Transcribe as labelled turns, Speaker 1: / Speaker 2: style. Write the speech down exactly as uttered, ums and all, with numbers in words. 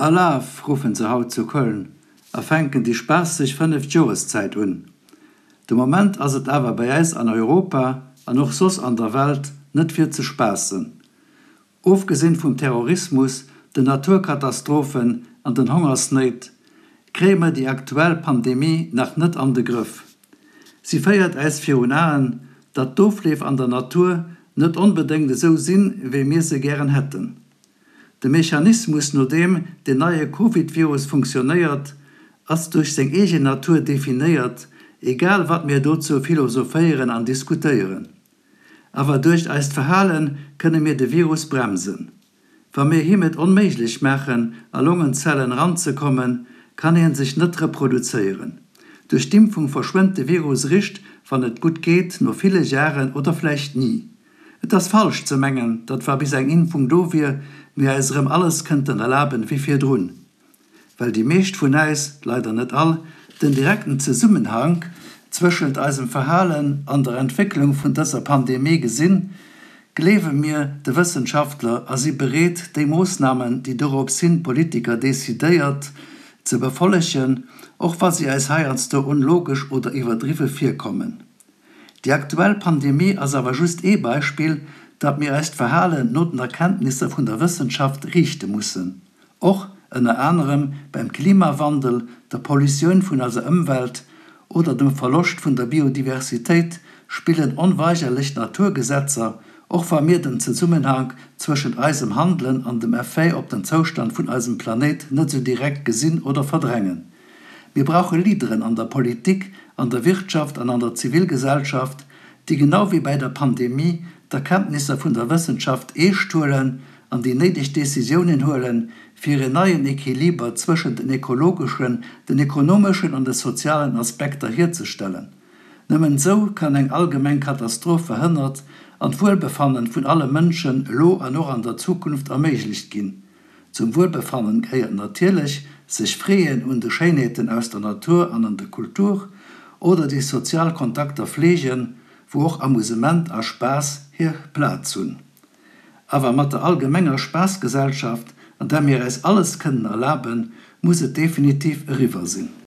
Speaker 1: Alaaf! Ruffen se haut zu Köln a fänken déi spaasseg fënneft Joreszäit un. De Moment ass et awer bei äis an Europa, an och soss an der Welt, net fir ze spaassen. Ofgesinn vum Terrorismus, den Naturkatastrophen an den Hongersnéit, kréie mer déi aktuell Pandemie nach net an de Grëff. Si féiert äis virun Aen, datt d'Ofleef an der Natur net onbedéngt esou sinn, wéi mir se gären hätten. De Mechanismus, no deem den neie Covid-Virus funktionéiert, ass duerch seng eegen Natur definéiert, egal wat mir dozou philosophéieren an diskutéieren. Awer duerch eist Verhale kënne mir de Virus bremsen. Wa mir him et onméiglech maachen, a Longenzellen eranzekommen, kann hien sech net reproduzéieren. Duerch d'Impfung verschwënnt de Virus erischt, wann et gutt geet, no ville Jaren oder vläicht ni. Et ass falsch ze mengen, datt wa bis eng Impfung do wier, mir eis erëm alles kënnten erlaben wéi virdrun. Well déi meescht vun äis, leider net all, den direkten Zesummenhank zwëschent eisem Verhalen an der Entwécklung vun dëser Pandemie gesinn, gleewe mir de Wëssenschaftler a si bereet, déi Moossnamen, déi dorops hin d'Politiker decidéiert, ze befollegen, och wa si eis heiansdo onlogesch oder iwwerdriwwe virkommen. Déi aktuell Pandemie ass awer just ee Beispill, datt mir eist Verhalen no den Erkenntnisser vun der Wëssenschaft riichte mussen. Och, ënner anerem, beim Klimawandel, der Pollutioun vun eiser Ëmwelt oder dem Verloscht vun der Biodiversitéit spillen onweigerlech d'Naturgesetzer, och wa mir den Zesummenhank zwëschent eisem Handelen an dem Effet op den Zoustand vun eisem Planéit net sou direkt gesinn oder verdrängen. Mir brauche Leaderen an der Politik, an der Wirtschaft an an der Zivilgesellschaft, déi genau wéi bäi der Pandemie d'Erkenntnisser vun der Wëssenschaft eescht huelen an déi néideg Decisiounen huelen, fir en neien Equiliber zwëschent den ekologeschen, den ekonomeschen an de sozialen Aspekter hierzestellen. Nëmmen esou kann eng allgemeng Katastroph verhënnert an d'Wuelbefannen vun alle Mënschen elo an och an der Zukunft erméiglecht ginn. Zum Wuelbefannen gehéiert natierlech, sech freeën un de Schéinheeten aus der Natur an an der Kultur oder déi sozial Kontakter fleegen, wou och Amusement a Spaass hir Plaz hunn. Awer mat der allgemenger Spaassgesellschaft, an där mir äis alles kënnen erlaben, muss et definitiv eriwwer sinn.